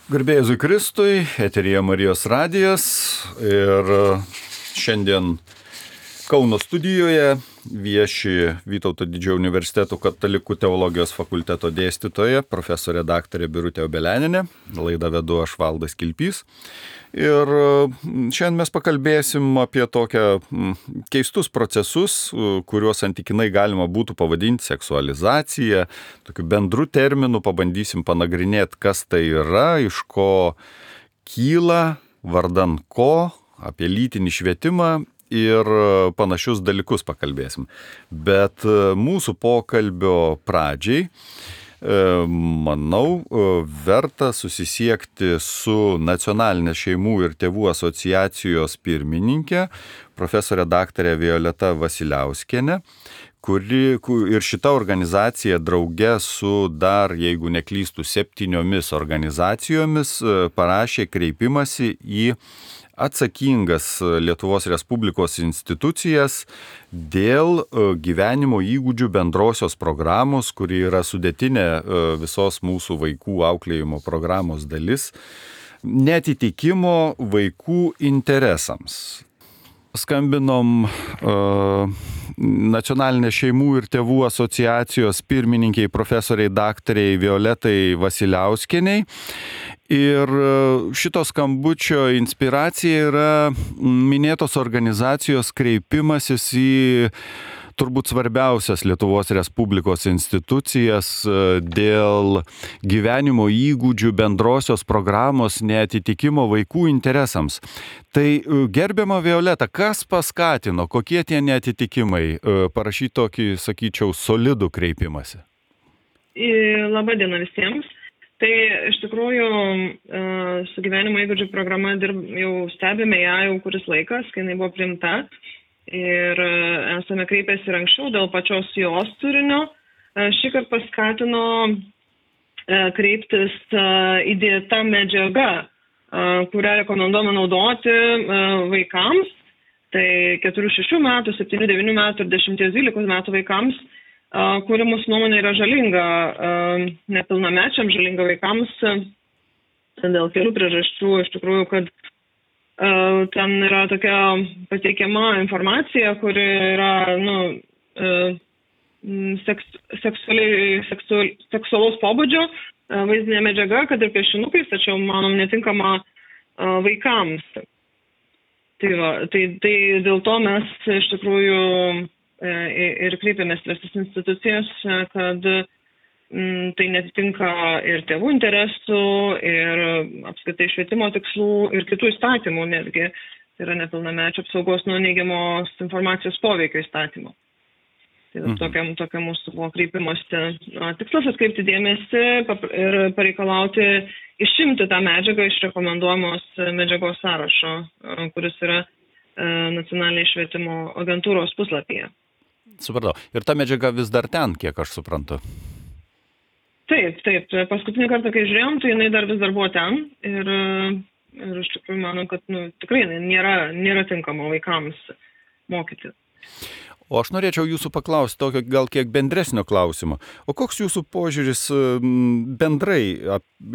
Garbė Jėzui Kristui, eteryje Marijos radijas ir šiandien Kauno studijoje vieši Vytauto Didžiojo universiteto katalikų teologijos fakulteto dėstytoja, profesorė daktarė Birutė Obeleninė, laidą vedu aš Valdas Kilpys. Ir šiandien mes pakalbėsim apie tokią keistus procesus, kuriuos santykinai galima būtų pavadinti seksualizacija. Tokiu bendru terminu pabandysim panagrinėti, kas tai yra, iš ko kyla, vardan ko, apie lytinį švietimą ir panašius dalykus pakalbėsim. Bet mūsų pokalbio pradžiai manau, verta susisiekti su Nacionalinės šeimų ir tėvų asociacijos pirmininkė, profesorė daktarė Violeta Vasiliauskienė, ir šita organizacija drauge su dar, jeigu neklystu, 7 organizacijomis parašė kreipimąsi į atsakingas Lietuvos Respublikos institucijas dėl gyvenimo įgūdžių bendrosios programos, kuri yra sudėtinė visos mūsų vaikų auklėjimo programos dalis, neatitikimo vaikų interesams. Skambinom Nacionalinės šeimų ir tėvų asociacijos pirmininkiai profesoriai daktariai Violetai Vasiliauskieniai. Ir šito skambučio inspiracija yra minėtos organizacijos kreipimasis į turbūt svarbiausias Lietuvos Respublikos institucijas dėl gyvenimo įgūdžių bendrosios programos neatitikimo vaikų interesams. Tai gerbiama Violeta, kas paskatino, kokie tie neatitikimai, parašyti tokį, sakyčiau, solidų kreipimąsi? Labą dieną visiems. Tai iš tikrųjų su gyvenimo įgūdžių programa jau stebime ją jau kuris laikas, kai jinai buvo priimta. Ir esame kreipęsi ir anksčiau dėl pačios jos turinio. Šį kartą paskatino kreiptis įdėta medžiaga, kurią rekomenduojama naudoti vaikams. Tai 4-6 metų, 7-9 metų ir 10-12 metų vaikams, kuri mūsų nuomonė yra žalinga nepilnamečiams, žalinga vaikams dėl kelių priežasčių. Iš tikrųjų, kad ten yra tokia pateikiama informacija, kuri yra seksualaus pobūdžio vaizdinė medžiaga, kad ir piešinukais, tačiau, manom, netinkama vaikams. Tai dėl to mes iš tikrųjų ir kreipiamės į visas institucijas, kad tai netitinka ir tėvų interesų, ir apskritai švietimo tikslų, ir kitų įstatymų, netgi tai yra nepilnamečio apsaugos nuo neigiamos informacijos poveikio įstatymo. Tai tokia mūsų buvo kreipimosi tikslas atkreipti dėmesį ir pareikalauti išimti tą medžiagą iš rekomenduojamos medžiagos sąrašo, kuris yra Nacionalinės švietimo agentūros puslapyje. Supratau. Ir ta medžiaga vis dar ten, kiek aš suprantu. Taip. Paskutinį kartą, kai žiūrėjom, tai jinai vis dar buvo ten. Ir iš tikrųjų manau, kad tikrai nėra tinkama vaikams mokyti. O aš norėčiau jūsų paklausti tokio gal kiek bendresnio klausimo. O koks jūsų požiūris bendrai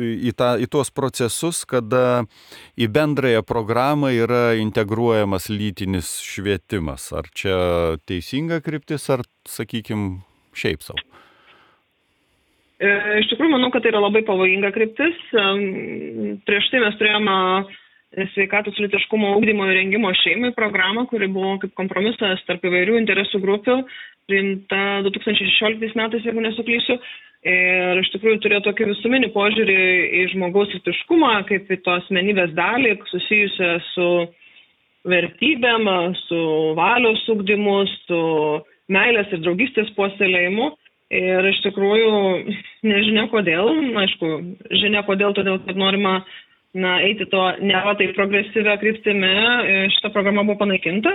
į tuos procesus, kada į bendrąją programą yra integruojamas lytinis švietimas? Ar čia teisinga kryptis, ar, sakykime, šiaip savo? Iš tikrųjų, manau, kad tai yra labai pavojinga kryptis. Prieš tai mes turėjome sveikatos lytiškumo ugdymo ir rengimo šeimai programą, kuri buvo kaip kompromisas tarp įvairių interesų grupių, priimta 2016 metais, jeigu nesuklysiu. Ir iš tikrųjų turėjo tokį visuminį požiūrį į žmogaus lytiškumą, kaip į to asmenybės dalį, susijusią su vertybėm, su valios ugdymu, su meilės ir draugystės puoselėjimu. Ir iš tikrųjų nežinia kodėl, aišku, žinia kodėl, todėl kad norima eiti to nėra taip progresyvę kryptimi, šita programa buvo panaikinta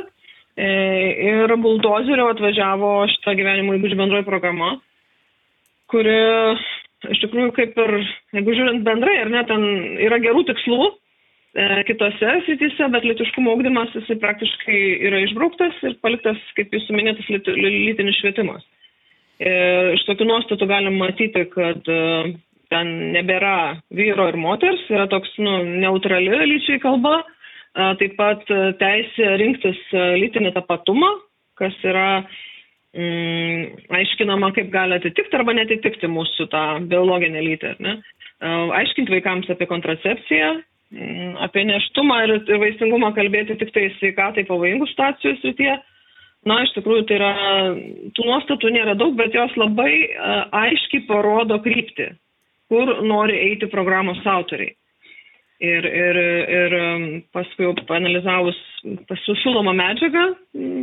ir buldozeriu atvažiavo šita gyvenimo įgūdžių bendroji programa, kuri iš tikrųjų kaip ir, jeigu žiūrint bendrai, ar ne, ten yra gerų tikslų kitose srityse, bet lytiškumo ugdymas jisai praktiškai yra išbrauktas ir paliktas, kaip jūsų minėtas, lytinis švietimas. Iš tokių nuostatų galim matyti, kad ten nebėra vyro ir moters, yra toks neutrali lyčiai kalba, taip pat teisė rinktis lytinį tapatumą, kas yra aiškinama, kaip gali atitikti arba netitikti mūsų tą biologinę lytį. Ne? Aiškinti vaikams apie kontracepciją, apie nėštumą ir vaisingumą kalbėti tik tai sveikatai pavojingų situacijų srityje. Iš tikrųjų, tai yra, tų nuostatų nėra daug, bet jos labai aiškiai parodo kryptį, kur nori eiti programos autoriai. Ir paskui jau paanalizavus pasiūlomą medžiagą,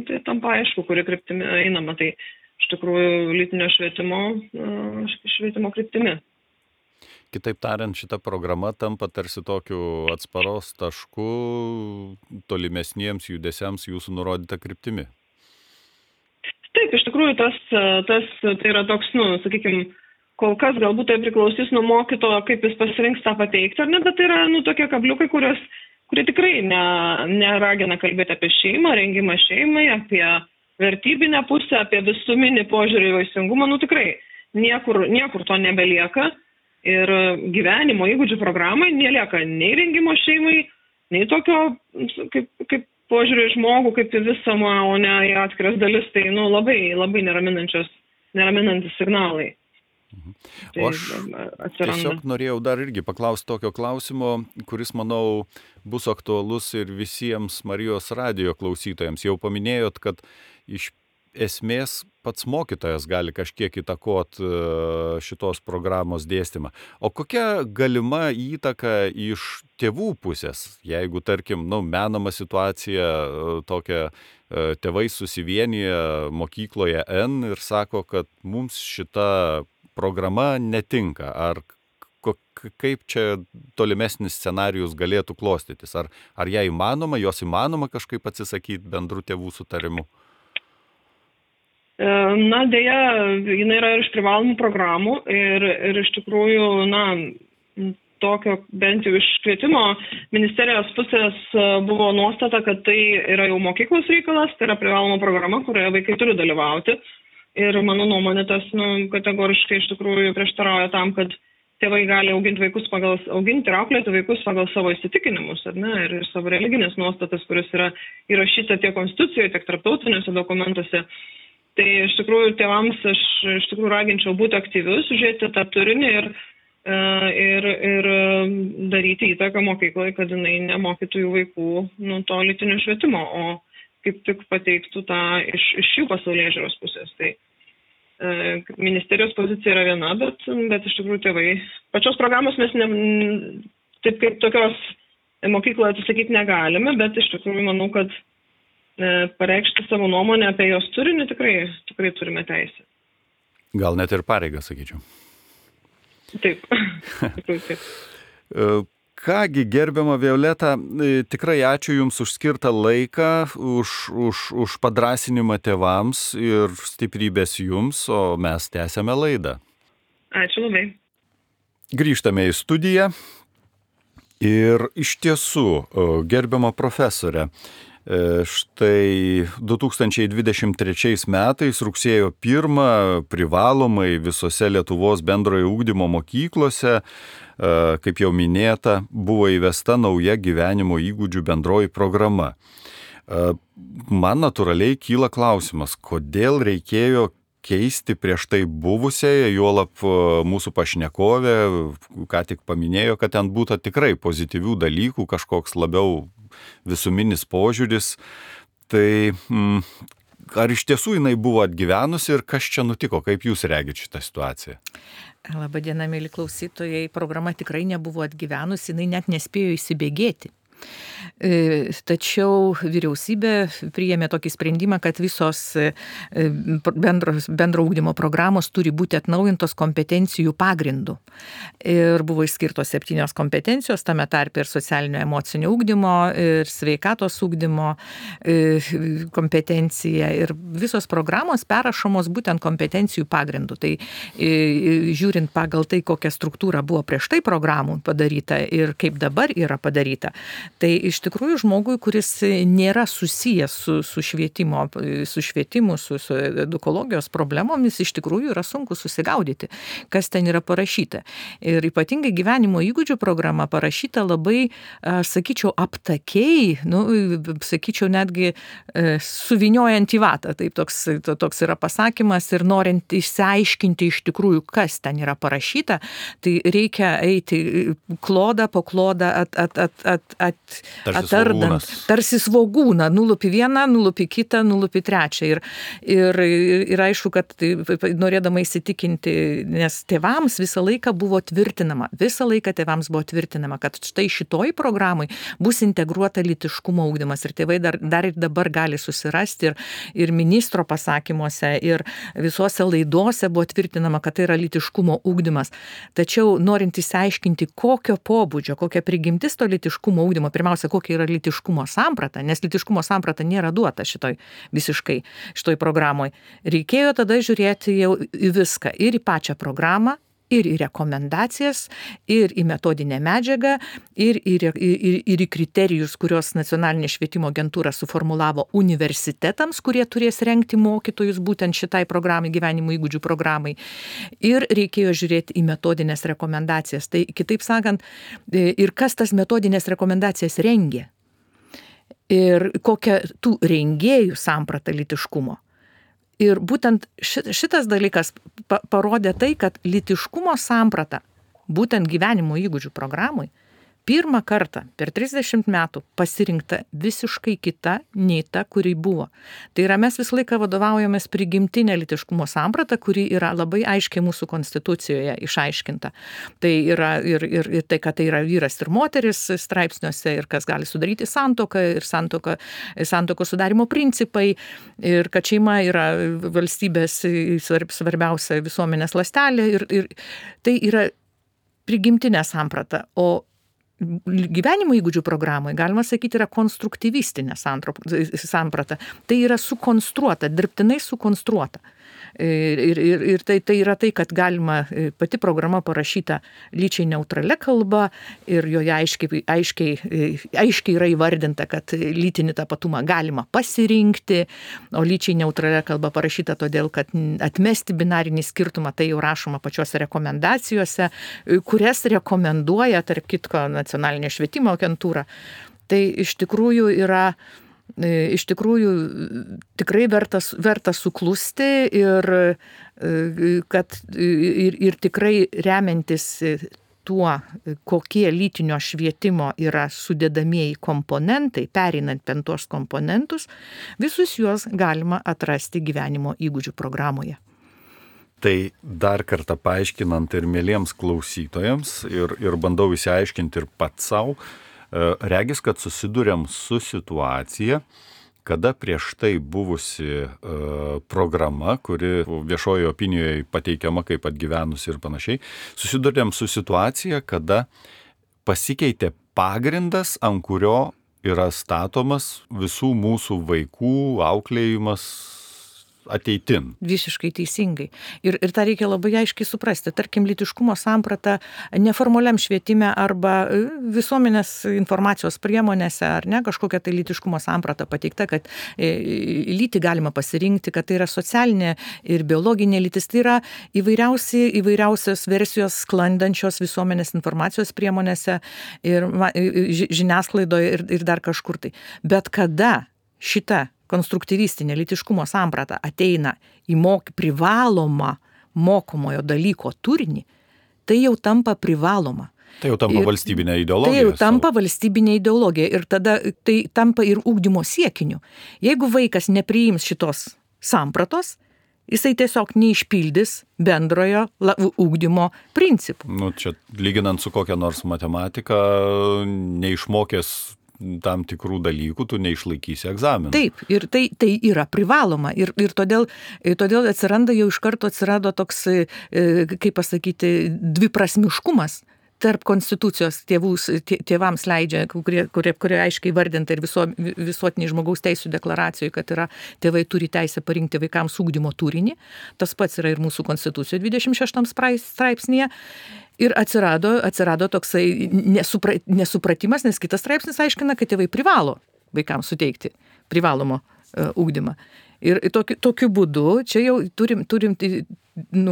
tai tampa aišku, kuri kryptimi einama, tai iš tikrųjų lytinio švietimo kryptimi. Kitaip tariant, šita programa tampa tarsi tokiu atsparos tašku tolimesniems judesiams jūsų nurodyta kryptimi. Taip, iš tikrųjų, tai yra toks, sakykime, kol kas galbūt tai priklausys nuo mokytojo, kaip jis pasirinks tą pateikti, ar ne, bet tai yra tokie kabliukai, kurie tikrai neragina kalbėti apie šeimą, rengimą šeimai, apie vertybinę pusę, apie visuminį požiūrį į vaisingumą, tikrai niekur to nebelieka ir gyvenimo įgūdžių programai nelieka nei rengimo šeimai, nei tokio kaip požiūrį į žmogų, kaip į visumą, o ne į atskiras dalis, tai labai, labai neraminantis signalai. O aš tiesiog norėjau dar irgi paklausti tokio klausimo, kuris, manau, bus aktualus ir visiems Marijos radijo klausytojams. Jau paminėjot, kad iš esmės pats mokytojas gali kažkiek įtakot šitos programos dėstymą. O kokia galima įtaka iš tėvų pusės, jeigu, tarkim, menama situacija tokia, tėvai susivienyje mokykloje N ir sako, kad mums šita programa netinka, ar kaip čia tolimesnis scenarijus galėtų klostytis, ar jos įmanoma kažkaip atsisakyti bendrų tėvų sutarimu? Deja, jinai yra iš privalomų programų ir iš tikrųjų, tokio bent jau iš švietimo ministerijos pusės buvo nuostata, kad tai yra jau mokyklos reikalas, tai yra privaloma programa, kurioje vaikai turi dalyvauti. Ir mano nuomonė tas kategoriškai iš tikrųjų prieštarauja tam, kad tėvai gali auginti ir auklėti vaikus pagal savo įsitikinimus, ir savo religinės nuostatas, kuris yra įrašyta tiek konstitucijoje, tiek tarptautiniuose dokumentuose. Tai iš tikrųjų tėvams aš iš tikrųjų raginčiau būti aktyvius, žiūrėti tą turinį ir daryti įtaką mokykloje, kad jinai nemokytų jų vaikų to lytinio švietimo, o kaip tik pateiktų tą iš jų pasaulėžiūros pusės. Tai ministerijos pozicija yra viena, bet iš tikrųjų tėvai. Pačios programos mes taip kaip tokios mokykloje atsisakyti negalime, bet iš tikrųjų manau, kad pareikšti savo nuomonę apie jos turinį tikrai turime teisę. Gal net ir pareigą, sakyčiau. Taip. Taip. Kągi, gerbiama Violeta, tikrai ačiū Jums už skirtą laiką, už padrąsinimą tėvams ir stiprybės Jums, o mes tęsiame laidą. Ačiū labai. Grįžtame į studiją ir iš tiesų, gerbiama profesorė, štai 2023 metais rugsėjo 1 privalomai visose Lietuvos bendrojo ugdymo mokyklose, kaip jau minėta, buvo įvesta nauja gyvenimo įgūdžių bendroji programa. Man natūraliai kyla klausimas, kodėl reikėjo keisti prieš tai buvusiai, juolab mūsų pašnekovė, ką tik paminėjo, kad ten būtų tikrai pozityvių dalykų, kažkoks labiau visuminis požiūris. Tai ar iš tiesų jinai buvo atgyvenusi ir kas čia nutiko, kaip jūs regite šitą situaciją? Labadiena, mėly klausytojai, programa tikrai nebuvo atgyvenusi, jinai net nespėjo įsibėgėti. Tačiau vyriausybė priėmė tokį sprendimą, kad visos bendro ugdymo programos turi būti atnaujintos kompetencijų pagrindų. Ir buvo išskirtos 7 kompetencijos, tame tarpe ir socialinio emocinio ugdymo, ir sveikatos ugdymo kompetencija. Ir visos programos perrašomos būtent kompetencijų pagrindų. Tai žiūrint pagal tai, kokia struktūra buvo prieš tai programų padaryta ir kaip dabar yra padaryta, tai iš tikrųjų žmogui, kuris nėra susijęs su švietimu, su edukologijos problemomis, iš tikrųjų yra sunku susigaudyti, kas ten yra parašyta. Ir ypatingai gyvenimo įgūdžių programa parašyta labai, sakyčiau, aptakiai, sakyčiau, netgi suviniojant į vatą. Taip, toks yra pasakymas ir norint išsiaiškinti iš tikrųjų, kas ten yra parašyta, tai reikia eiti klodą po klodą atardant. Tarsi svogūną, nulupi vieną, nulupi kitą, nulupi trečią. Ir aišku, kad norėdama įsitikinti, nes tėvams visą laiką tėvams buvo tvirtinama, kad štai šitoj programai bus integruota lytiškumo ugdymas. Ir tėvai dar ir dabar gali susirasti ir ministro pasakymuose, ir visose laidose buvo tvirtinama, kad tai yra lytiškumo ugdymas. Tačiau norint įsiaiškinti, kokio pobūdžio, kokia prigimtis to lytiškumo ugdymo, pirmiausia, kokia yra lytiškumo samprata, nes lytiškumo samprata nėra duota šitoj programoj. Reikėjo tada žiūrėti jau į viską, ir į pačią programą, ir į rekomendacijas, ir į metodinę medžiagą, ir į kriterijus, kurios Nacionalinė švietimo agentūra suformulavo universitetams, kurie turės rengti mokytojus būtent šitai programai, gyvenimo įgūdžių programai. Ir reikėjo žiūrėti į metodinės rekomendacijas. Tai kitaip sakant, ir kas tas metodinės rekomendacijas rengė. Ir kokia tų rengėjų samprata lytiškumo. Ir būtent šitas dalykas parodė tai, kad lytiškumo samprata, būtent gyvenimo įgūdžių programai, pirmą kartą per 30 metų pasirinkta visiškai kita nei ta, kuri buvo. Tai yra, mes visą laiką vadovaujamės prigimtinė lytiškumo samprata, kuri yra labai aiškiai mūsų konstitucijoje išaiškinta. Tai yra ir tai, kad tai yra vyras ir moteris straipsniuose, ir kas gali sudaryti santuoką, ir santuokos sudarimo principai, ir kad šeima yra valstybės svarbiausia visuomenės ląstelė, ir tai yra prigimtinė samprata. O gyvenimo įgūdžių programai, galima sakyti, yra konstruktyvistinė samprata. Tai yra sukonstruota, dirbtinai sukonstruota. Ir tai yra tai, kad galima, pati programa parašyta lyčiai neutralia kalba ir joje aiškiai yra įvardinta, kad lytinį tapatumą galima pasirinkti, o lyčiai neutralia kalba parašyta todėl, kad atmesti binarinį skirtumą, tai jau rašoma pačiose rekomendacijose, kurias rekomenduoja, tarp kitko, Nacionalinė švietimo agentūra. Tai iš tikrųjų yra tikrai verta suklusti ir tikrai remiantis tuo, kokie lytinio švietimo yra sudedamieji komponentai, pereinant per tuos komponentus, visus juos galima atrasti gyvenimo įgūdžių programoje. Tai dar kartą paaiškinant ir mieliems klausytojams ir bandau įsiaiškinti ir pats savo, regis, kad susiduriam su situacija, kada prieš tai buvusi programa, kuri viešojo opinijoje pateikiama kaip atgyvenusi ir panašiai, susiduriam su situacija, kada pasikeitė pagrindas, ant kurio yra statomas visų mūsų vaikų auklėjimas ateitin. Visiškai teisingai. Ir tą reikia labai aiškiai suprasti. Tarkim, lytiškumo samprata neformaliam švietime arba visuomenės informacijos priemonėse, ar ne, kažkokia tai lytiškumo samprata pateikta, kad lytį galima pasirinkti, kad tai yra socialinė ir biologinė lytis. Tai yra įvairiausios versijos sklandančios visuomenės informacijos priemonėse ir žiniasklaidoje ir dar kažkur tai. Bet kada šita konstruktyvistinė lytiškumo samprata ateina į privalomą mokomojo dalyko turinį, tai jau tampa privaloma. Tai jau tampa valstybinė ideologija. Tai jau tampa valstybinė ideologija ir tada tai tampa ir ugdymo siekiniu. Jeigu vaikas nepriims šitos sampratos, jisai tiesiog neišpildys bendrojo ugdymo principų. Čia lyginant su kokia nors matematika, neišmokęs tam tikrų dalykų, tu neišlaikysi egzaminą. Taip, ir tai yra privaloma. Ir todėl atsiranda toks, kaip pasakyti, dviprasmiškumas tarp konstitucijos tėvams leidžia, kurie aiškiai vardinta ir visuotiniai žmogaus teisų deklaracijoje, kad tėvai turi teisę parinkti vaikams ugdymo turinį. Tas pats yra ir mūsų konstitucijoje 26 straipsnėje. Ir atsirado toksai nesupratimas, nes kitas straipsnis aiškina, kad tėvai privalo vaikams suteikti privalomo ugdymą. Ir tokiu būdu čia jau turim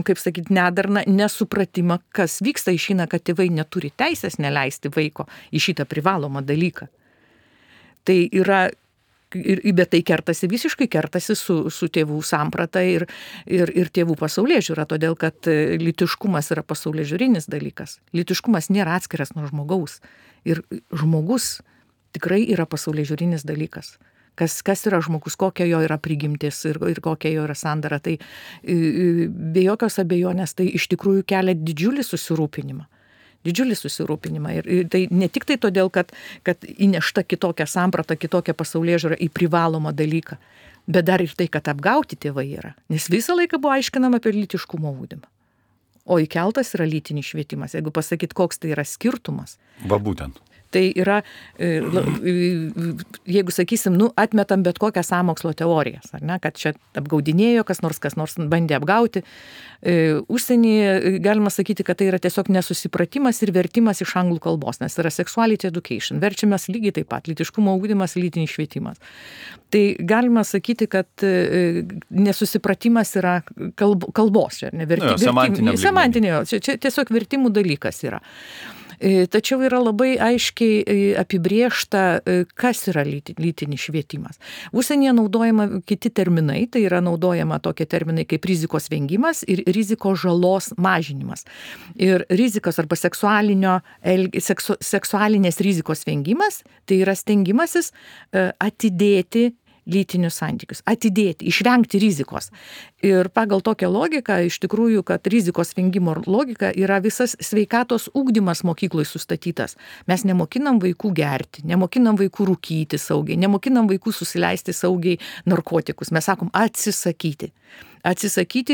kaip sakyti, nedarną nesupratimą, kas vyksta, išeina, kad tėvai neturi teisės neleisti vaiko į šitą privalomą dalyką. Tai yra, bet tai visiškai kertasi su tėvų samprata ir tėvų pasaulėžiūra, todėl kad lytiškumas yra pasaulėžiūrinis dalykas. Lytiškumas nėra atskiras nuo žmogaus. Ir žmogus tikrai yra pasaulėžiūrinis dalykas. Kas yra žmogus, kokia jo yra prigimtis ir kokia jo yra sandara. Tai be jokios abejonės tai iš tikrųjų kelia didžiulį susirūpinimą. Ir tai ne tik tai todėl, kad įnešta kitokia samprata, kitokia pasaulėžiūra į privalomą dalyką, bet dar ir tai, kad apgauti tėvai yra. Nes visą laiką buvo aiškinama apie lytiškumo ugdymą. O įkeltas yra lytinis švietimas. Jeigu pasakyt, koks tai yra skirtumas. Va būtent. Tai yra, jeigu sakysim, atmetam bet kokią sąmokslo teorijas, ar ne, kad čia apgaudinėjo kas nors bandė apgauti. Užsienyje galima sakyti, kad tai yra tiesiog nesusipratimas ir vertimas iš anglų kalbos, nes yra sexuality education, verčiamas lygiai taip pat, lytiškumo ugdymas, lytinis švietimas. Tai galima sakyti, kad nesusipratimas yra kalbos, semantinio, čia tiesiog vertimų dalykas yra. Tačiau yra labai aiškiai apibrėžta, kas yra lytinis švietimas. Užsienyje naudojama kiti terminai, tai yra naudojama tokie terminai kaip rizikos vengimas ir rizikos žalos mažinimas. Ir rizikos arba seksualinės rizikos vengimas, tai yra stengimasis atidėti lytinius santykius, išvengti rizikos. Ir pagal tokią logiką, iš tikrųjų, kad rizikos vengimo logika yra visas sveikatos ugdymas mokykloje sustatytas. Mes nemokinam vaikų gerti, nemokinam vaikų rūkyti saugiai, nemokinam vaikų susileisti saugiai narkotikus. Mes sakom atsisakyti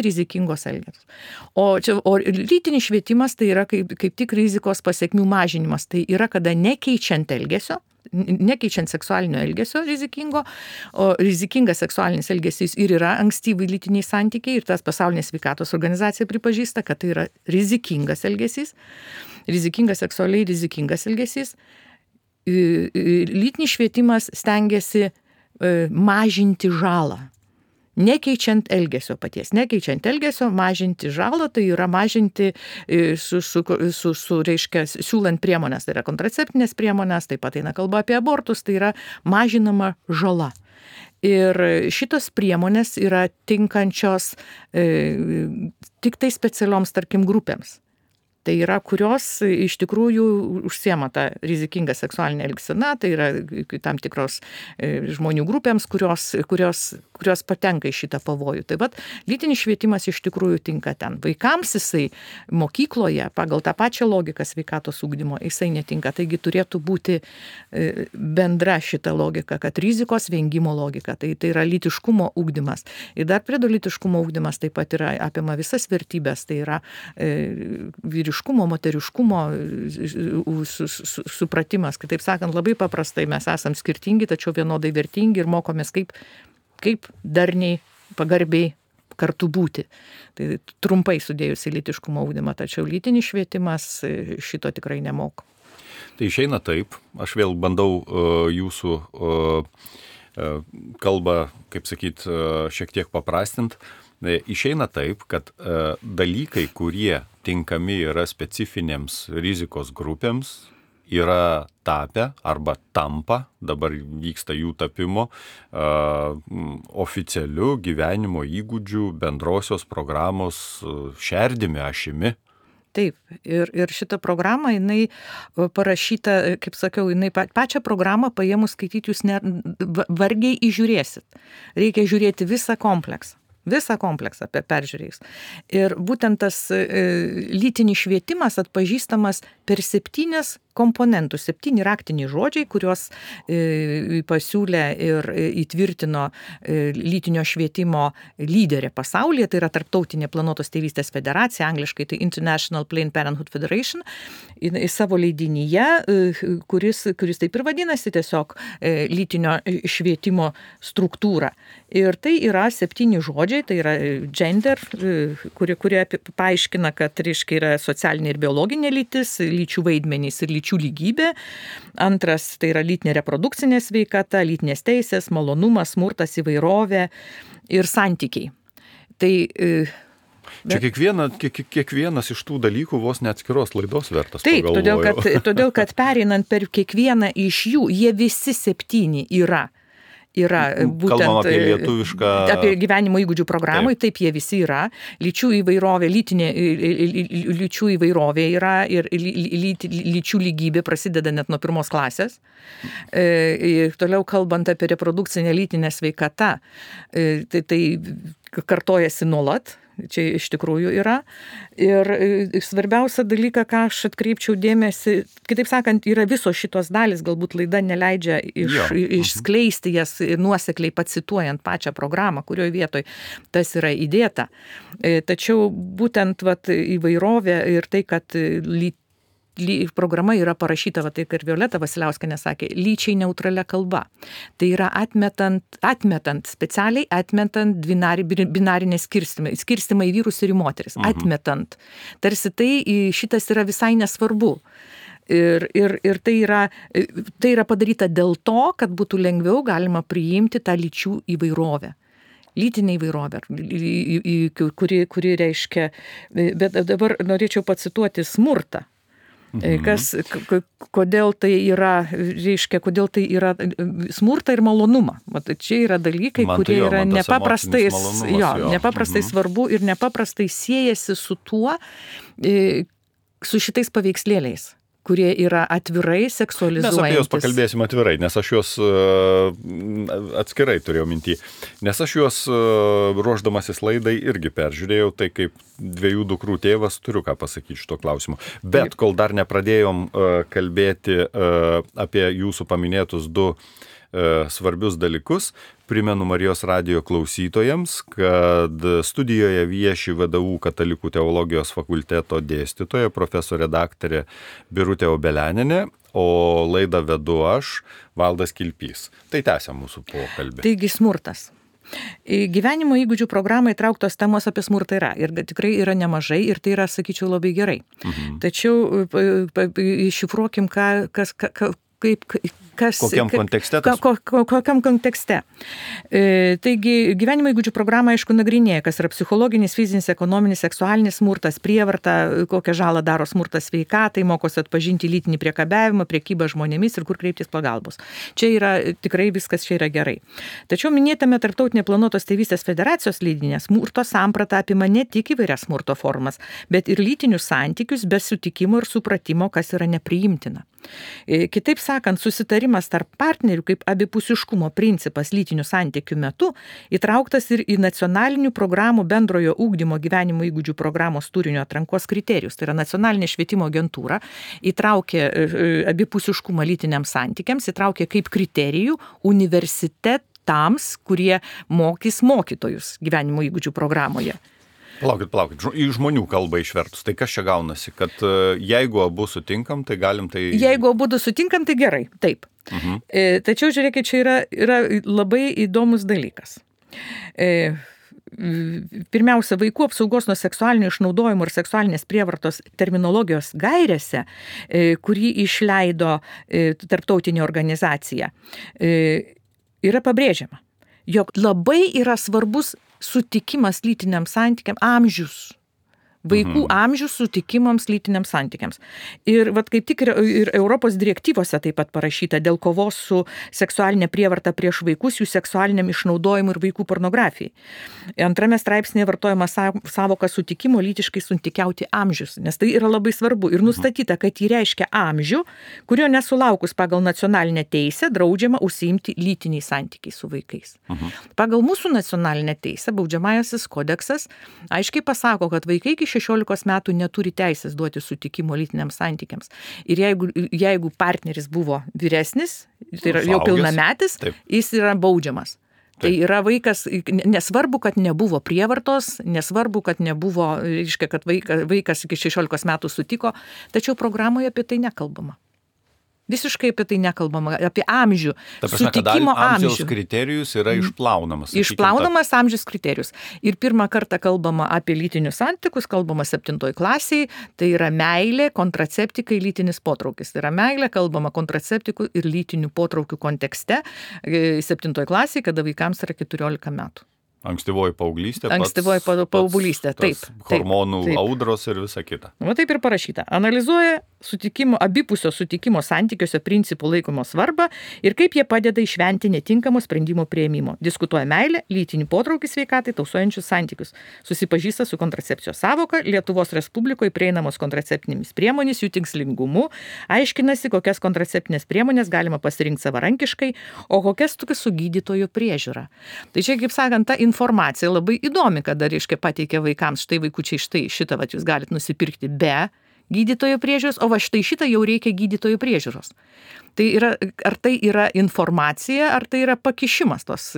rizikingos elgesios. O lytinis švietimas tai yra kaip tik rizikos pasekmių mažinimas. Tai yra, kada nekeičiant seksualinio elgesio rizikingo, o rizikingas seksualinis elgesys ir yra ankstyvai lytiniai santykiai ir tas Pasaulinė sveikatos organizacija pripažįsta, kad tai yra rizikingas elgesys, seksualiai rizikingas elgesys. Lytinis švietimas stengiasi mažinti žalą. Nekeičiant elgesio, mažinti žalą, tai yra mažinti reiškia, siūlant priemonės, tai yra kontraceptinės priemonės, taip pat eina kalba apie abortus, tai yra mažinama žala. Ir šitos priemonės yra tinkančios tik tai specialioms, tarkim, grupėms. Tai yra, kurios iš tikrųjų užsiema tą rizikingą seksualinę elgseną, tai yra tam tikros žmonių grupėms, kurios patenka į šitą pavojų. Tai vat, lytinis švietimas iš tikrųjų tinka ten. Vaikams jisai mokykloje, pagal tą pačią logiką sveikatos ugdymo, jisai netinka. Taigi turėtų būti bendra šita logika, kad rizikos vengimo logika, tai yra lytiškumo ugdymas. Ir dar prie lytiškumo ugdymas taip pat yra apima visas vertybės, tai yra vyriškumo, moteriškumo supratimas. Kitaip sakant, labai paprastai mes esam skirtingi, tačiau vienodai vertingi ir mokomės kaip darniai, pagarbiai kartu būti. Tai trumpai sudėjus į lytiškumo ugdymą, tačiau lytinis švietimas šito tikrai nemoko. Tai išeina taip, aš vėl bandau jūsų kalbą, kaip sakyt, šiek tiek paprastint. Išeina taip, kad dalykai, kurie tinkami yra specifinėms rizikos grupėms, yra tapę arba tampa, dabar vyksta jų tapimo, oficialiu gyvenimo įgūdžių bendrosios programos šerdimi, ašimi. Taip, ir šitą programą, jinai parašyta, kaip sakiau, jinai pačią programą paėmus skaityti jūs vargiai įžiūrėsit. Reikia žiūrėti visą kompleksą peržiūrėjus. Ir būtent tas lytinis švietimas atpažįstamas per 7 komponentų, 7 raktiniai žodžiai, kuriuos pasiūlė ir įtvirtino lytinio švietimo lyderė pasaulyje, tai yra Tarptautinė planuotos tėvystės federacija, angliškai tai International Planned Parenthood Federation, į savo leidinyje, kuris taip ir vadinasi tiesiog lytinio švietimo struktūra. Ir tai yra 7 žodžiai, tai yra gender, kurie paaiškina, kad reiškia yra socialinė ir biologinė lytis, lyčių vaidmenys ir lyčių lygybė. Antras, tai yra lytinė reprodukcinė sveikata, lytinės teisės, malonumas, smurtas, įvairovė ir santykiai. Tai čia kiekvienas iš tų dalykų vos ne atskiros laidos vertas. Taip, todėl kad pereinant per kiekvieną iš jų, jie visi 7 yra būtent kalbam apie lietuvišką apie gyvenimo įgūdžių programai, taip jie visi yra. Lyčių įvairovė, lyčių įvairovė yra ir lyčių lygybė prasideda net nuo 1 klasės. Toliau kalbant apie reprodukcinę lytinę sveikatą, tai kartojasi nuolat. Čia iš tikrųjų yra. Ir svarbiausia dalyka, ką aš atkreipčiau dėmesį, kitaip sakant, yra visos šitos dalis, galbūt laida neleidžia išskleisti jas nuosekliai pacituojant pačią programą, kurioje vietoj tas yra įdėta. Tačiau būtent įvairovė ir tai, kad programa yra parašyta, tai ir Violeta Vasiliauskienė sakė, lyčiai neutralia kalba. Tai yra specialiai atmetant binarinę skirstimą į vyrus ir į moteris. Atmetant. Tarsi šitas yra visai nesvarbu. Ir tai yra padaryta dėl to, kad būtų lengviau galima priimti tą lyčių įvairovę. Lytinė įvairovė, kuri reiškia, bet dabar norėčiau pacituoti smurtą. Kodėl tai yra smurtą ir malonumą. Čia yra dalykai, kurie yra nepaprastai svarbu ir nepaprastai siejasi su tuo, su šitais paveikslėliais, kurie yra atvirai seksualizuojantis. Mes apie juos pakalbėsim atvirai, nes aš juos atskirai turėjau mintį. Nes aš juos ruošdamasis laidai irgi peržiūrėjau, tai kaip 2 dukrų tėvas turiu ką pasakyti šito klausimu. Bet kol dar nepradėjom kalbėti apie jūsų paminėtus 2 svarbius dalykus, primenu Marijos radijo klausytojams, kad studijoje vieši VDU Katalikų teologijos fakulteto dėstytoja, profesorė daktarė Birutė Obelianinė, o laidą vedu aš, Valdas Kilpys. Tai tęsia mūsų pokalbį. Taigi smurtas. Gyvenimo įgūdžių programai trauktos temos apie smurtą yra ir tikrai yra nemažai ir tai yra, sakyčiau, labai gerai. Tačiau iššifruokim, kokiam kontekste tas? Kokiam kontekste. Taigi, gyvenimo įgūdžių programa, aišku, nagrinėja, kas yra psichologinis, fizinis, ekonominis, seksualinis smurtas, prievarta, kokią žalą daro smurtas sveikatai, mokosi atpažinti lytinį priekabiavimą, priekybą žmonėmis ir kur kreiptis pagalbos. Čia yra tikrai viskas čia yra gerai. Tačiau minėtame Tarptautinė planuotos tėvystės federacijos leidinė smurto samprata apima ne tik įvairias smurto formas, bet ir lytinius santykius be sutikimo ir supratimo, kas yra nepriimtina. Kitaip sakant, susitarimas tarp partnerių kaip abipusiškumo principas lytinių santykių metu įtrauktas ir į nacionalinių programų bendrojo ugdymo gyvenimo įgūdžių programos turinio atrankos kriterijus. Tai yra nacionalinė švietimo agentūra įtraukė abipusiškumą lytiniams santykiams, įtraukė kaip kriterijų universitetams, kurie mokys mokytojus gyvenimo įgūdžių programoje. Palaukit, į žmonių kalbą išvertus. Tai kas čia gaunasi, kad jeigu abu sutinkam, tai galim tai... Jeigu abu sutinkam, tai gerai, taip. Tačiau, žiūrėkit, čia yra labai įdomus dalykas. Pirmiausia, vaikų apsaugos nuo seksualinio išnaudojimo ir seksualinės prievartos terminologijos gairėse, kurį išleido tarptautinė organizacija, yra pabrėžiama, jog labai yra svarbus sutikimas lytiniam santykiam, amžius. Vaikų amžius sutikimams lytiniams santykiams. Ir kaip tik ir Europos direktyvose taip pat parašyta dėl kovos su seksualinė prievarta prieš vaikus, jų seksualiniam išnaudojimui ir vaikų pornografijai. Antrame straipsnėje vartojama savoka sutikimo lytiškai santykiauti amžius, nes tai yra labai svarbu. Ir nustatyta, kad jį reiškia amžių, kurio nesulaukus pagal nacionalinę teisę draudžiama užsiimti lytiniais santykiais su vaikais. Pagal mūsų nacionalinę teisę baudžiamasis kodeksas aiškiai pasako, kad vaikai iki 16 metų neturi teisės duoti sutikimo lytiniams santykiams. Ir jeigu partneris buvo vyresnis, tai yra jau pilnametis, jis yra baudžiamas. Tai yra vaikas, nesvarbu, kad nebuvo prievartos, nesvarbu, kad nebuvo, reiškia, kad vaikas iki 16 metų sutiko, tačiau programoje apie tai nekalbama. Visiškai apie tai nekalbama, apie amžių, sutikimo amžių. Amžiaus kriterijus yra išplaunamas. Išplaunamas amžius kriterijus. Ir pirmą kartą kalbama apie lytinius santykius, kalbama 7 klasėje, tai yra meilė, kontraceptikai, lytinis potraukis. Tai yra meilė, kalbama kontraceptikų ir lytinių potraukių kontekste 7 klasėje, kada vaikams yra 14 metų. Ankstyvoji paauglystė. Ankstyvoji paauglystė, taip. Hormonų audros ir visa kita. Va taip ir parašyta. Analizuoja abipusio sutikimo santykiuose principų laikomo svarbą ir kaip jie padeda išvengti netinkamo sprendimo priėmimo. Diskutuoja meilę, lytinį potraukį sveikatai, tausojančius santykius. Susipažįsta su kontracepcijos sąvoka, Lietuvos Respublikoje prieinamos kontraceptinėmis priemonės, jų tikslingumu, aiškinasi, kokias kontraceptinės priemonės galima pasirinkti savarankiškai, o kokias tokias su gydytojo priežiūra. Tai čia, kaip sakant, ta informacija labai įdomi, kada, reiškia, pateikia vaikams, štai vaikučiai, šitą jūs galite nusipirkti be gydytojo priežiūros, o va štai šitą jau reikia gydytojo priežiūros. Tai yra, ar tai yra informacija, ar tai yra pakišimas tos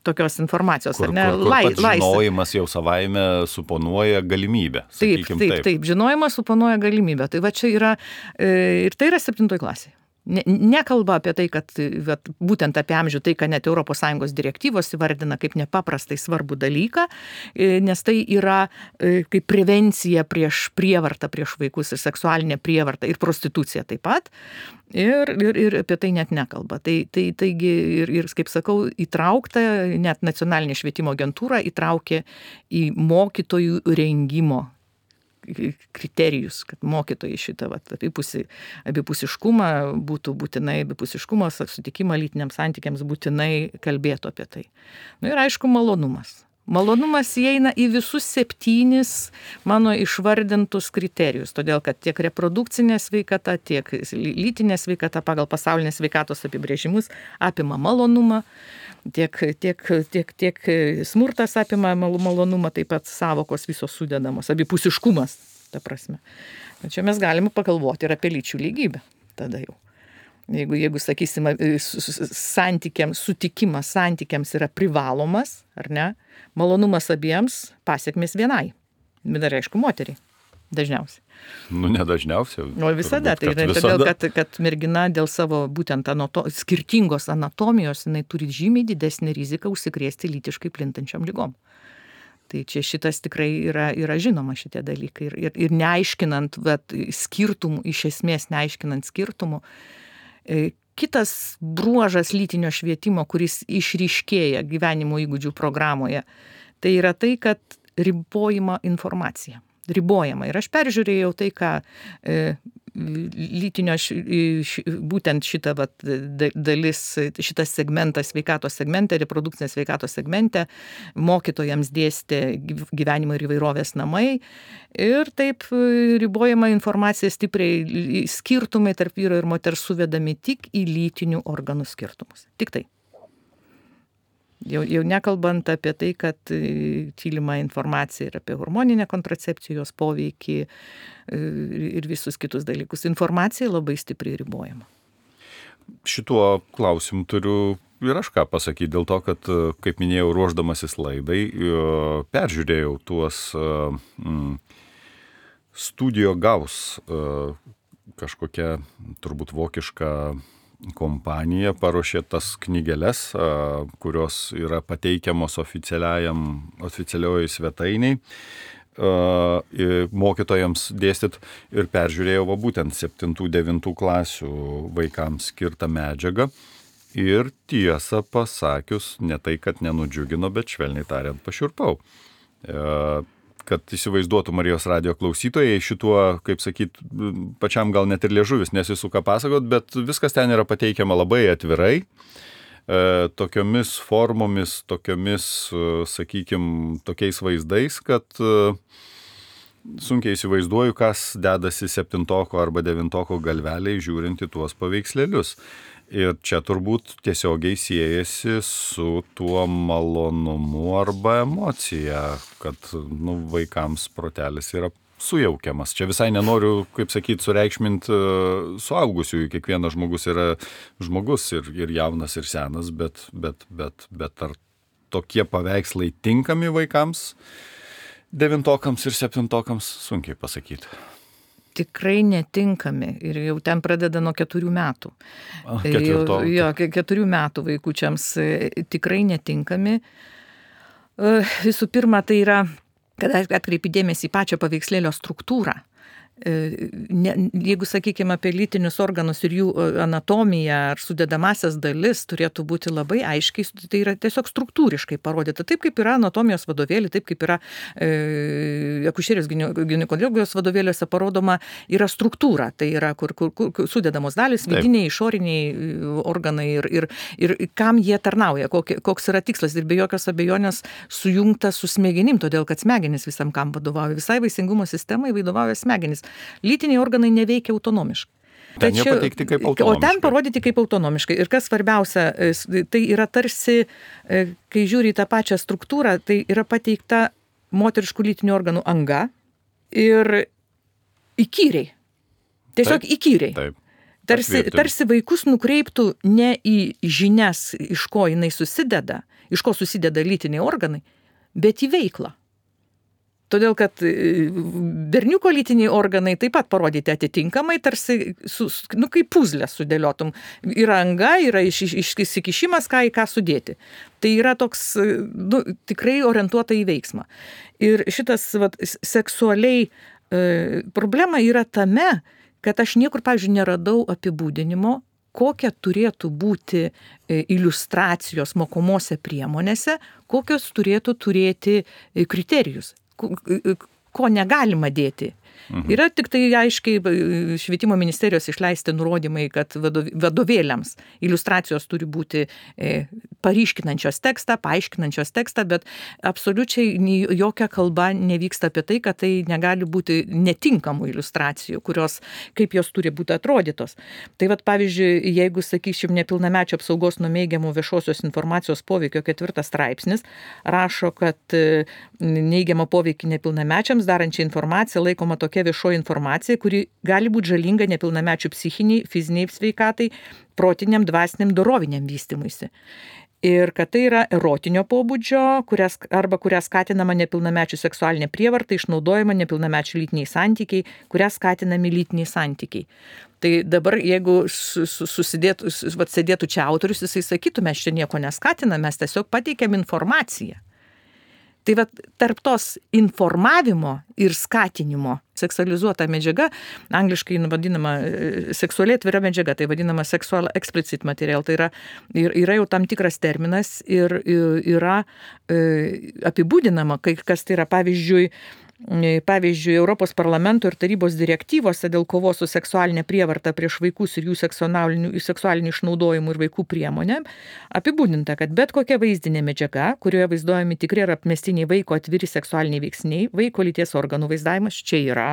tokios informacijos, ar ne? Pats žinojimas jau savaime suponuoja galimybę. Taip, žinojimas suponuoja galimybę. Tai va čia yra, ir tai yra 7 klasė. Nekalba apie tai, kad būtent apie amžių, tai, ką net ES direktyvos įvardina kaip nepaprastai svarbų dalyką, nes tai yra kaip prevencija prieš prievartą, prieš vaikus ir seksualinę prievartą ir prostituciją taip pat. Ir apie tai net nekalba. Taigi, ir kaip sakau, įtraukta, net nacionalinė švietimo agentūra įtraukė į mokytojų rengimo kriterijus, kad mokytojai šitą abipusiškumą būtų būtinai, abipusiškumą, sutikimą lytiniams santykiams būtinai kalbėtų apie tai. Ir aišku, malonumas. Malonumas įeina į visus 7 mano išvardintus kriterijus, todėl kad tiek reprodukcinė sveikata, tiek lytinė sveikata pagal pasaulinės sveikatos apibrėžimus apima malonumą, tiek smurtas apima malonumą, taip pat sąvokos visos sudedamos, abipusiškumas, ta prasme. Čia mes galime pagalvoti ir apie lyčių lygybę tada jau. Jeigu sakysime, sutikimas santykiams yra privalomas, ar ne, malonumas abiems, pasiekmės vienai. Bet dar aišku, moteriai. Dažniausiai. Ne dažniausiai. O visada. Tai yra todėl, kad mergina dėl savo būtent skirtingos anatomijos, jinai turi žymiai didesnį riziką užsikrėsti lytiškai plintančiam lygom. Tai čia šitas tikrai yra žinoma šitie dalykai. Ir neaiškinant skirtumų, iš esmės neaiškinant skirtumų, kitas bruožas lytinio švietimo, kuris išryškėja gyvenimo įgūdžių programoje, tai yra tai, kad ribojama informacija. Ribojama. Ir aš peržiūrėjau tai, ką lytinio, būtent šitą dalis, šitas segmentas, sveikatos segmente, reprodukcinės sveikatos segmente, mokytojams dėstė gyvenimo ir įvairovės namai. Ir taip ribojama informacija stipriai, skirtumai tarp vyro ir moters suvedami tik į lytinių organų skirtumus. Tik tai. Jau nekalbant apie tai, kad tylima informacija ir apie hormoninę kontracepciją, jos poveikį ir visus kitus dalykus. Informacija labai stipriai ribojama. Šituo klausimu turiu ir aš ką pasakyti, dėl to, kad, kaip minėjau, ruošdamasis laidai, peržiūrėjau tuos Studio Gaus kažkokia turbūt vokiška kompanija paruošė tas knygeles, kurios yra pateikiamos oficialioje svetainiai mokytojams dėstyt ir peržiūrėjau būtent 7-9 klasių vaikams skirtą medžiagą ir tiesą pasakius, ne tai, kad nenudžiugino, bet švelniai tariant pašiurpau. Kad įsivaizduotų Marijos radijo klausytojai šituo, kaip sakyt, pačiam gal net ir liežuvis nesisuka pasakot, bet viskas ten yra pateikiama labai atvirai, tokiomis formomis, tokiomis, sakykime, tokiais vaizdais, kad sunkiai įsivaizduoju, kas dedasi 7 arba 9 galveliai žiūrint į tuos paveikslėlius. Ir čia turbūt tiesiogiai siejasi su tuo malonumu arba emocija, kad vaikams protelis yra sujaukiamas. Čia visai nenoriu, kaip sakyti, sureikšminti suaugusiųjų. Kiekvienas žmogus yra žmogus ir jaunas, ir senas, bet ar tokie paveikslai tinkami vaikams, 9-okams ir 7-okams, sunkiai pasakyti. Tikrai netinkami ir jau ten pradeda nuo 4 metų. 4 metų vaikučiams tikrai netinkami. Visų pirma, tai yra, kad atkreipi dėmesį į pačią paveikslėlio struktūrą. Jeigu, sakykime, apie lytinius organus ir jų anatomiją ar sudedamasias dalis turėtų būti labai aiškiai, tai yra tiesiog struktūriškai parodyta. Taip kaip yra anatomijos vadovėlį, taip kaip yra akušerijos ginekologijos vadovėliuose parodoma, yra struktūra. Tai yra, kur sudedamos dalis, vidiniai, išoriniai organai ir kam jie tarnauja, koks yra tikslas. Ir be jokios abejonės sujungta su smegenim, todėl kad smegenys visam kam vadovauja. Visai vaisingumo sistemai vadovauja smegenys. Lytiniai organai neveikia autonomiškai. Ten jie pateikti kaip autonomiškai. O ten parodyti kaip autonomiškai. Ir kas svarbiausia, tai yra tarsi, kai žiūri į tą pačią struktūrą, tai yra pateikta moteriškų lytinių organų anga ir įkyriai. Tiesiog įkyriai. Taip. Tarsi vaikus nukreiptų ne į žinias, iš ko jinai susideda, iš ko susideda lytiniai organai, bet į veiklą. Todėl, kad berniuko lytiniai organai taip pat parodyti atitinkamai, tarsi kaip puzlę sudėliotum. Yra anga, yra išsikišimas, ką sudėti. Tai yra toks tikrai orientuota į veiksmą. Ir šitas seksualiai problema yra tame, kad aš niekur, pavyzdžiui, neradau apibūdinimo, kokia turėtų būti iliustracijos mokomose priemonėse, kokios turėtų turėti kriterijus. Ko negalima dėti. Yra tik tai aiškiai švietimo ministerijos išleisti nurodymai, kad vadovėliams iliustracijos turi būti paryškinančios tekstą, paaiškinančios tekstą, bet absoliučiai jokia kalba nevyksta apie tai, kad tai negali būti netinkamų iliustracijų, kaip jos turi būti atrodytos. Tai pavyzdžiui, jeigu, sakysim, nepilnamečio apsaugos nuo neigiamų viešosios informacijos poveikio 4 straipsnis rašo, kad neigiamą poveikį nepilnamečiams darančią informaciją laikoma tokia viešoji informacija, kuri gali būti žalinga nepilnamečių psichiniai, fiziniai sveikatai, protiniam, dvasiniam, doroviniam vystymuisi. Ir kad tai yra erotinio pobūdžio, kuria skatinama nepilnamečių seksualinė prievarta, išnaudojama nepilnamečių lytiniai santykiai, kuria skatinami lytiniai santykiai. Tai dabar, jeigu sėdėtų čia autorius, jisai sakytų, mes čia nieko neskatiname, mes tiesiog pateikiam informaciją. Tai tarp tos informavimo ir skatinimo seksualizuota medžiaga, angliškai vadinama seksualiai atvira medžiaga, tai vadinama sexual explicit material, tai yra jau tam tikras terminas ir yra apibūdinama, kas tai yra, pavyzdžiui, Europos parlamento ir tarybos direktyvose dėl kovos su seksualinė prievarta prieš vaikus ir jų seksualinį išnaudojimų ir vaikų priemonę apibūdinta, kad bet kokia vaizdinė medžiaga, kurioje vaizduojami tikri ir apmestiniai vaiko atviri seksualiniai veiksniai, vaiko lyties organų vaizdavimas čia yra,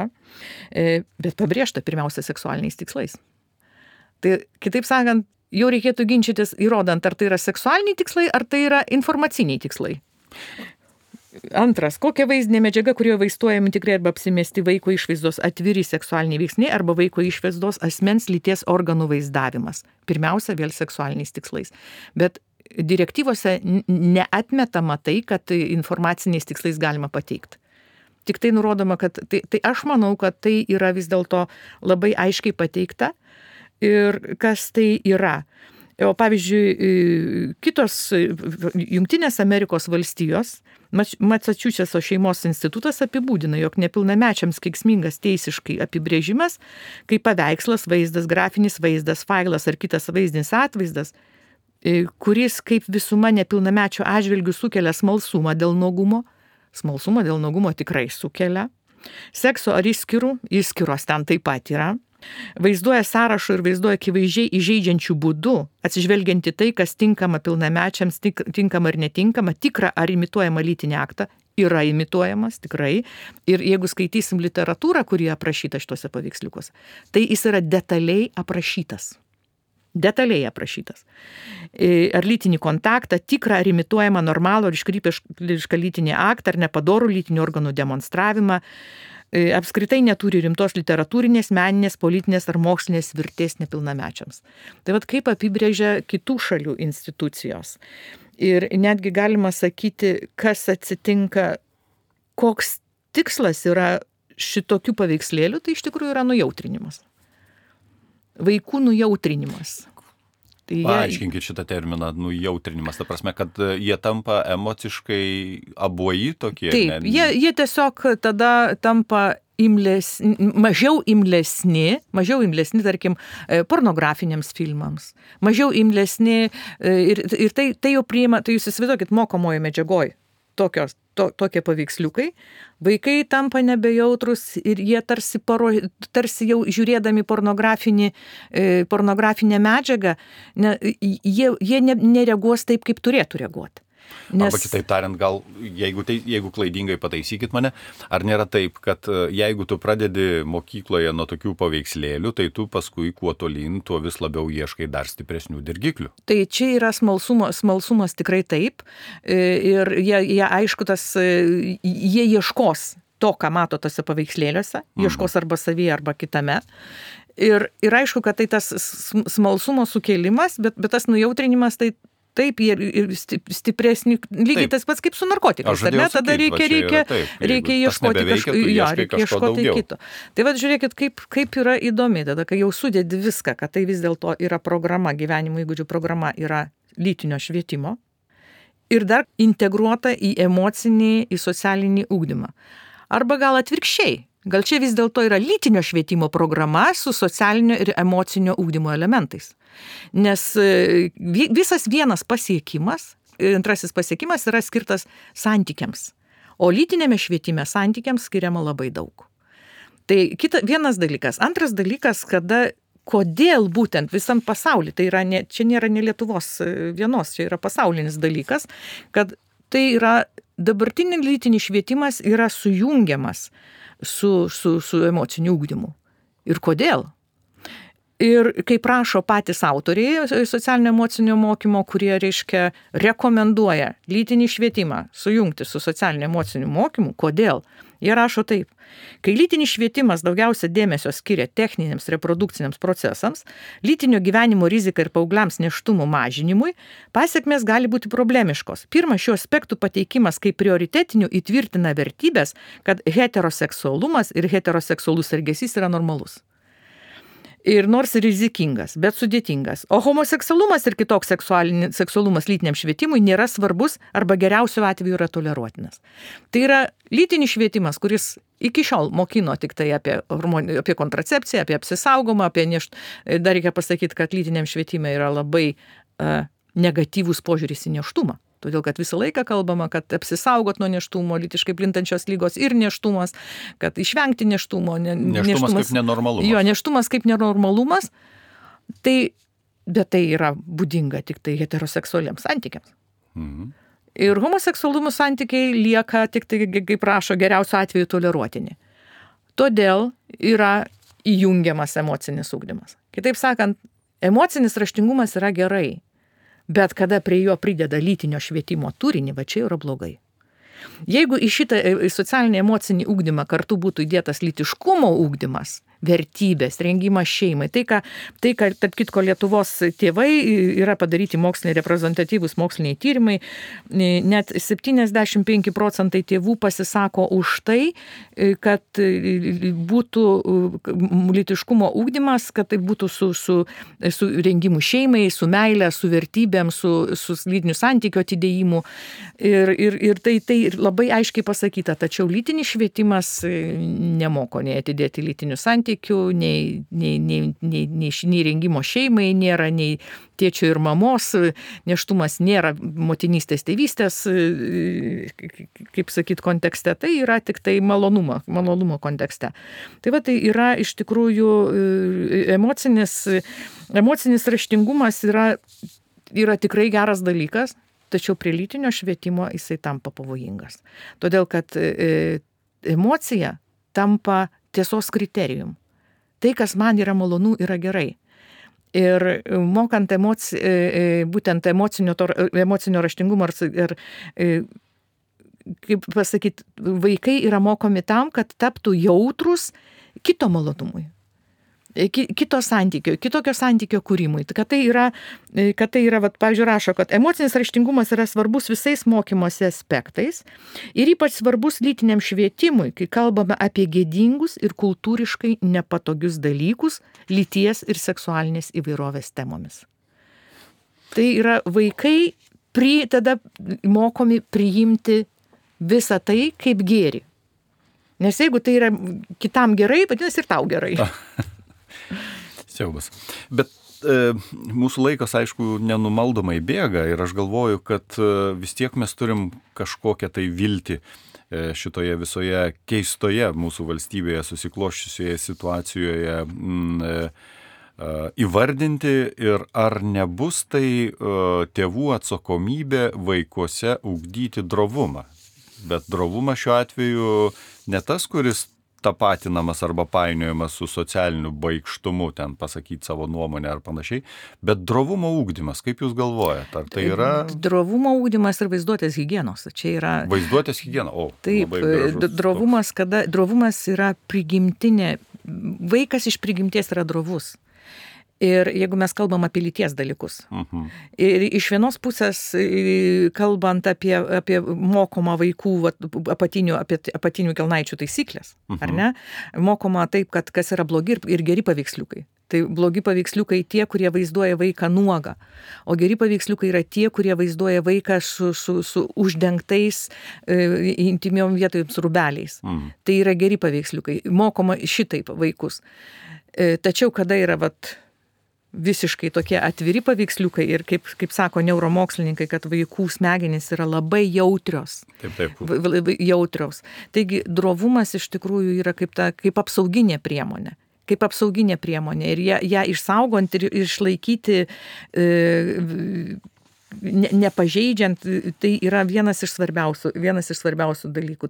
bet pabrėžta pirmiausia seksualiniais tikslais. Tai kitaip sakant, jau reikėtų ginčytis įrodant, ar tai yra seksualiniai tikslai, ar tai yra informaciniai tikslai. Antras, kokia vaizdinė medžiaga, kurioje vaizduojami tikrai arba apsimesti vaiko išvaizdos atviri seksualiniai veiksniai arba vaiko išvaizdos asmens lyties organų vaizdavimas. Pirmiausia, vėl seksualiniais tikslais. Bet direktyvose neatmetama tai, kad informaciniais tikslais galima pateikti. Tik tai nurodoma, kad tai aš manau, kad tai yra vis dėlto labai aiškiai pateikta ir kas tai yra. O pavyzdžiui, kitos Jungtinės Amerikos valstijos, Masačusetso šeimos institutas apibūdina, jog nepilnamečiams kenksmingas teisiškai apibrėžimas, kaip paveikslas, vaizdas, grafinis vaizdas, failas ar kitas vaizdinis atvaizdas, kuris kaip visuma nepilnamečio atžvilgių sukelia smalsumą dėl nuogumo tikrai sukelia, sekso ar įskyros ten taip pat yra, vaizduoja sąrašų ir vaizduoja akivaizdžiai įžeidžiančių būdų, atsižvelgiant į tai, kas tinkama pilnamečiams, tinkama ar netinkama, tikra ar imituojama lytinį aktą, yra imituojamas tikrai. Ir jeigu skaitysim literatūrą, kuri aprašyta šituose paveiksliukuose, tai jis yra detaliai aprašytas. detaliai aprašytas. Ar lytinį kontaktą, tikrą ar imituojamą normalų ar iškrypėlišką lytinį aktą, ar nepadorų lytinių organų demonstravimą, apskritai neturi rimtos literatūrinės, meninės, politinės ar mokslinės vertės nepilnamečiams. Tai vat kaip apibrėžia kitų šalių institucijos. Ir netgi galima sakyti, kas atsitinka, koks tikslas yra šitokių paveikslėlių, tai iš tikrųjų yra nujautrinimas. Vaikų nujautrinimas. Tai Paaiškinkit šitą terminą nujautrinimas, ta prasme, kad jie tampa emociškai abuoji tokie. Taip, jie tiesiog tada tampa mažiau imlesni, tarkim, pornografiniams filmams, mažiau imlesni ir tai jau priima, tai jūs įsivaizduokit mokomojo medžiagoj. Tokie paveiksliukai, vaikai tampa nebejautrus ir jie tarsi jau žiūrėdami pornografinę medžiagą, jie nereaguos taip, kaip turėtų reaguoti. Arba kitaip tariant, gal, jeigu klaidingai pataisykit mane, ar nėra taip, kad jeigu tu pradedi mokykloje nuo tokių paveikslėlių, tai tu paskui kuo tolyn, tuo vis labiau ieškai dar stipresnių dirgiklių. Tai čia yra smalsumas tikrai taip. Ir jie aišku, jie ieškos to, ką mato tose paveikslėliuose, ieškos arba savyje, arba kitame. Ir aišku, kad tai tas smalsumo sukėlimas, bet tas nujautrinimas, tai taip, ir stipresni, lygiai tas pats kaip su narkotikais, ar ne? Tada reikia ieškoti kito. Tai vad žiūrėkit, kaip yra įdomi, tada, kai jau sudedi viską, kad tai vis dėlto yra programa, gyvenimo įgūdžių programa yra lytinio švietimo ir dar integruota į emocinį, į socialinį ugdymą. Arba gal atvirkščiai. Gal čia vis dėlto yra lytinio švietimo programa su socialinio ir emocinio ugdymo elementais. Nes visas vienas pasiekimas, antrasis pasiekimas yra skirtas santykiams, o lytinėme švietime santykiams skiriama labai daug. Tai vienas dalykas. Antras dalykas, kodėl būtent visam pasaulyje, tai yra čia nėra ne Lietuvos vienos, čia yra pasaulinis dalykas, kad tai yra dabartinis lytinis švietimas yra sujungiamas su emociniu ugdymu. Ir kodėl? Ir kaip prašo patys autoriai socialinio emocinio mokymo, kurie, rekomenduoja lytinį švietimą sujungti su socialinio emociniu mokymu, kodėl? Jie rašo taip. Kai lytinis švietimas daugiausia dėmesio skiria techniniams reprodukciniams procesams, lytinio gyvenimo rizikai ir paaugliams nėštumo mažinimui, pasekmės gali būti problemiškos. Pirmas, šių aspektų pateikimas kaip prioritetinių įtvirtina vertybės, kad heteroseksualumas ir heteroseksualus elgesys yra normalus. Ir nors rizikingas, bet sudėtingas. O homoseksualumas ir kitoks seksualumas lytiniam švietimui nėra svarbus arba geriausiu atveju yra toleruotinas. Tai yra lytinis švietimas, kuris iki šiol mokino tik tai apie kontracepciją, apie apsisaugomą, dar reikia pasakyti, kad lytiniam švietime yra labai negatyvus požiūris į nėštumą. Todėl, kad visą laiką kalbama, kad apsisaugot nuo nėštumo, lytiškai plintančios lygos ir nėštumas, kad išvengti nėštumo. Nėštumas kaip nenormalumas. Jo, nėštumas kaip nenormalumas, bet tai yra būdinga tik tai heteroseksualiems santykiams. Mhm. Ir homoseksualumo santykiai lieka tik tai, kaip rašo, geriausiu atveju toleruotini. Todėl yra įjungiamas emocinis ugdymas. Kitaip sakant, emocinis raštingumas yra gerai. Bet kada prie jo prideda lytinio švietimo turinį, va čia yra blogai. Jeigu į šitą socialinį emocinį ugdymą kartu būtų įdėtas lytiškumo ugdymas, vertybės, rengimas šeimai, tai ką, tarp kitko, Lietuvos tėvai yra padaryti moksliniai, reprezentatyvūs moksliniai tyrimai, net 75% tėvų pasisako už tai, kad būtų lytiškumo ugdymas, kad tai būtų su rengimu šeimai, su meile, su vertybėm, su lytinių santykių atidėjimu. Ir tai labai aiškiai pasakyta, tačiau lytinis švietimas nemoko nei atidėti lytinių santykių, nei rengimo šeimai, nėra nei tėčio ir mamos, nėštumas nėra motinystės, tėvystės, kaip sakyt, kontekste, tai yra tik tai malonumo kontekste. Tai va, tai yra iš tikrųjų emocinis raštingumas yra tikrai geras dalykas, tačiau prie lytinio švietimo jisai tampa pavojingas. Todėl, kad emocija tampa tiesos kriterijum. Tai, kas man yra malonu, yra gerai. Ir mokant būtent emocinio raštingumo ir kaip pasakyti, vaikai yra mokomi tam, kad taptų jautrus kito malonumui, kitokio santykio kūrimui. Kad tai yra, pavyzdžiui, rašo, kad emocinis raštingumas yra svarbus visais mokymosi aspektais ir ypač svarbus lytiniam švietimui, kai kalbame apie gėdingus ir kultūriškai nepatogius dalykus lyties ir seksualinės įvairovės temomis. Tai yra vaikai tada mokomi priimti visą tai kaip gėrį. Nes jeigu tai yra kitam gerai, vadinasi ir tau gerai. Siaubas. Bet mūsų laikas, aišku, nenumaldomai bėga ir aš galvoju, kad vis tiek mes turim kažkokią tai viltį šitoje visoje keistoje mūsų valstybėje susikloščiusioje situacijoje įvardinti ir ar nebus tai tėvų atsakomybė vaikuose ugdyti drovumą. Bet drovumas šiuo atveju ne tas, kuris tapatinamas arba painiojamas su socialiniu baikštumu, ten pasakyti savo nuomonę ar panašiai, bet drovumo ugdymas, kaip jūs galvojate, ar tai yra... Drovumo ugdymas ir vaizduotės higienos, čia yra... Vaizduotės higiena, Taip, drovumas yra prigimtinė, vaikas iš prigimties yra drovus. Ir jeigu mes kalbam apie lyties dalykus. Ir iš vienos pusės, kalbant apie mokomą vaikų apatinių kelnaičių taisyklės, ar ne? Mokoma taip, kad kas yra blogi ir geri paveiksliukai. Tai blogi paveiksliukai tie, kurie vaizduoja vaiką nuogą, o geri paveiksliukai yra tie, kurie vaizduoja vaiką su uždengtais intimiom vietojams rūbeliais. Tai yra geri paveiksliukai. Mokoma šitaip vaikus. Tačiau kada yra visiškai tokie atviri paveiksliukai ir kaip sako neuromokslininkai, kad vaikų smegenys yra labai jautrios. Taip. Jautrios. Taigi drovumas iš tikrųjų yra kaip apsauginė priemonė. Ir ją išsaugant ir išlaikyti nepažeidžiant, tai yra vienas iš svarbiausių dalykų.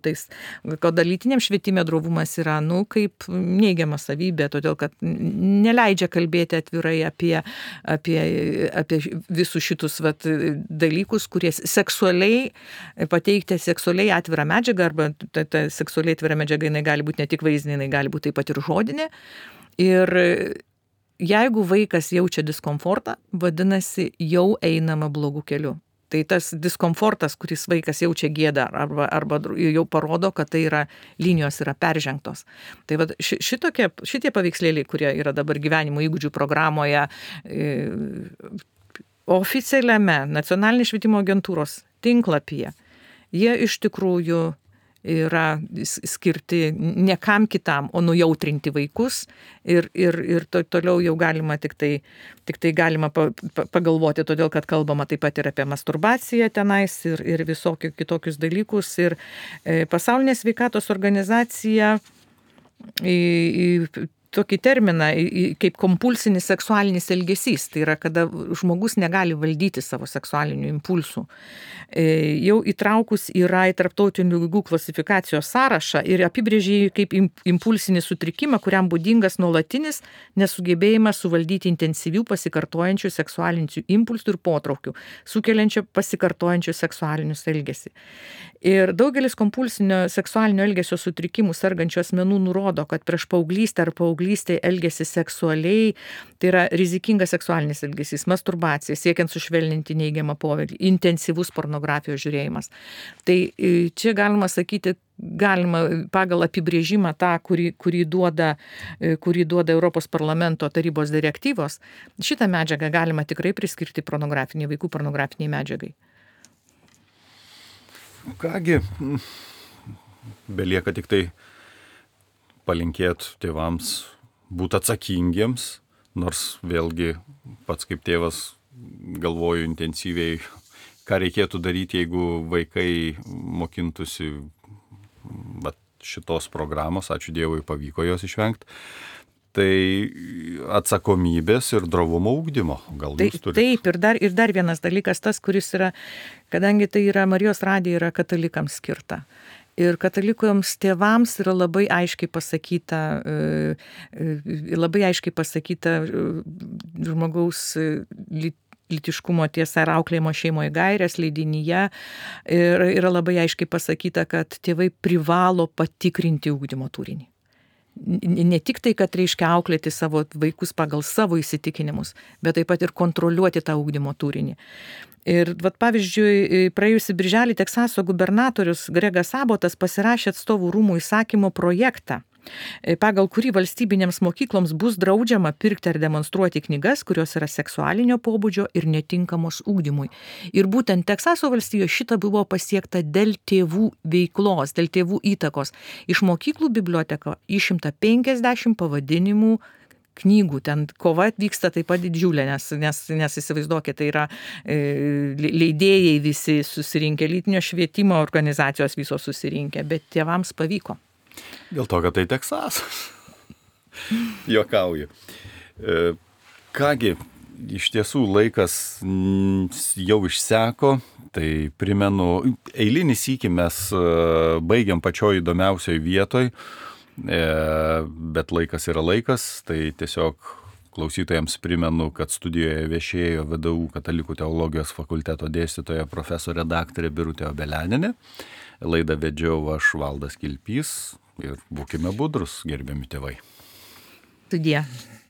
Kad lytiniam švietime drovumas yra, kaip neigiama savybė, todėl kad neleidžia kalbėti atvirai apie visus šitus dalykus, kurie pateikti seksualiai atvirą medžiagą, arba ta seksualiai atvira medžiaga, jinai gali būti ne tik vaizdinė, jinai gali būti taip pat ir žodinė. Ir jeigu vaikas jaučia diskomfortą, vadinasi, jau einama blogų kelių. Tai tas diskomfortas, kuris vaikas jaučia gėdą arba jau parodo, kad tai yra linijos yra peržengtos. Tai šitie paveikslėliai, kurie yra dabar gyvenimo įgūdžių programoje, oficialiame Nacionalinės švietimo agentūros tinklapyje, jie iš tikrųjų yra skirti ne kam kitam, o nujautrinti vaikus ir toliau jau galima tik tai galima pagalvoti, todėl kad kalbama taip pat ir apie masturbaciją tenais ir visokius kitokius dalykus. Ir Pasaulinė sveikatos organizacija tokį terminą kaip kompulsinis seksualinis elgesys. Tai yra, kada žmogus negali valdyti savo seksualinių impulsų. Jau įtraukus yra į tarptautinių ligų klasifikacijos sąrašą ir apibrėžė kaip impulsinį sutrikimą, kuriam būdingas nuolatinis nesugebėjimas suvaldyti intensyvių pasikartojančių seksualinių impulsų ir potraukių, sukeliančių pasikartojančių seksualinius elgesį. Ir daugelis kompulsinio seksualinio elgesio sutrikimų sergančių asmenų nurodo, kad prieš paauglystę ar paauglystėje elgesi seksualiai, tai yra rizikingas seksualinis elgesys, masturbacija, siekiant sušvelninti neigiamą poveikį, intensyvus pornografijos žiūrėjimas. Tai čia galima sakyti, pagal apibrėžimą tą, kurį duoda Europos parlamento tarybos direktyvos, šitą medžiagą galima tikrai priskirti vaikų pornografiniai medžiagai. Kągi, belieka tik tai palinkėti tėvams būti atsakingiems, nors vėlgi pats kaip tėvas galvoju intensyviai, ką reikėtų daryti, jeigu vaikai mokintųsi šitos programos, ačiū Dievui pavyko jos išvengti. Tai atsakomybės ir drovumo ugdymo. Gal jūs turite? Taip, ir dar vienas dalykas tas, kuris yra, kadangi tai yra Marijos radija yra katalikams skirta. Ir katalikams tėvams yra labai aiškiai pasakyta žmogaus lytiškumo tiesa ir auklėjimo šeimoje gairės leidinyje. Ir yra labai aiškiai pasakyta, kad tėvai privalo patikrinti ugdymo turinį. Ne tik tai, kad reiškia auklėti savo vaikus pagal savo įsitikinimus, bet taip pat ir kontroliuoti tą ugdymo turinį. Ir pavyzdžiui, praėjusį birželį Teksaso gubernatorius Gregas Abbotas pasirašė atstovų rūmų įsakymo projektą, pagal kurį valstybinėms mokykloms bus draudžiama pirkti ar demonstruoti knygas, kurios yra seksualinio pobūdžio ir netinkamos ugdymui. Ir būtent Teksaso valstijoje šita buvo pasiekta dėl tėvų veiklos, dėl tėvų įtakos. Iš mokyklų biblioteko išimta 50 pavadinimų knygų, ten kova vyksta taip pat didžiulė, nes įsivaizduokit, tai yra leidėjai visi susirinkę, lytinio švietimo organizacijos visos susirinkę, bet tėvams pavyko. Dėl to, kad tai Teksasas. Juokauju. Kągi, iš tiesų laikas jau išseko, tai primenu, eilinį sykį mes baigiam pačioj įdomiausioj vietoj, bet laikas yra laikas, tai tiesiog klausytojams primenu, kad studijoje viešėjo VDU Katalikų teologijos fakulteto dėstytoja profesorė daktarė Birutė Obelianinė. Laidą vedžiau aš, Valdas Kilpys, ir būkime budrus, gerbiami tėvai. Sudie.